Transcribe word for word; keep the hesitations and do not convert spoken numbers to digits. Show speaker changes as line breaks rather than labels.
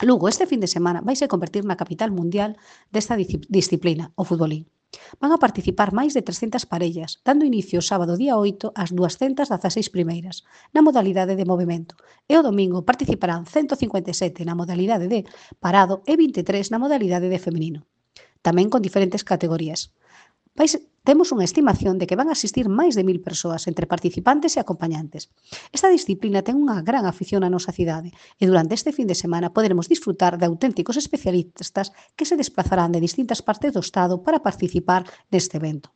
Lugo este fin de semana vaise convertir na capital mundial desta disci- disciplina, o futbolín. Van a participar máis de trescentas parellas, dando inicio o sábado día oito ás duascentas dezaseis primeiras, na modalidade de movimento, e o domingo participarán ciento cincuenta e sete na modalidade de parado e vinte e tres na modalidade de feminino, tamén con diferentes categorías. Vais, temos unha estimación de que van a asistir máis de mil persoas entre participantes e acompañantes. Esta disciplina ten unha gran afición na nosa cidade e durante este fin de semana poderemos disfrutar de auténticos especialistas que se desplazarán de distintas partes do Estado para participar neste evento.